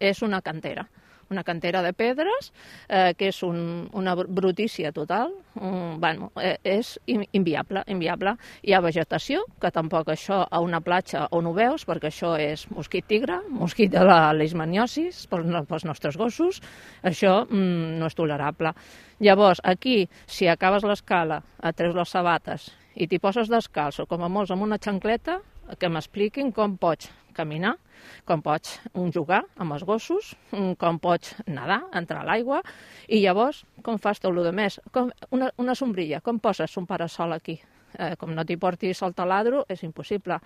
és una cantera de pedres, que és una brutícia total. És inviable. Hi ha vegetació, que tampoc això a una platja on ho veus, perquè això és mosquit tigre, mosquit de la leishmaniosis pels nostres gossos, això no és tolerable. Llavors, aquí, si acabes l'escala, et treus les sabates i t'hi poses descalç o com a molts amb una xancleta, que m'expliquin com pots caminar, com pots jugar amb els gossos, com pots nedar, entrar a l'aigua, i llavors com fas tot el més? Una sombrilla, com poses un parasol aquí? Com no t'hi portis el taladro, és impossible.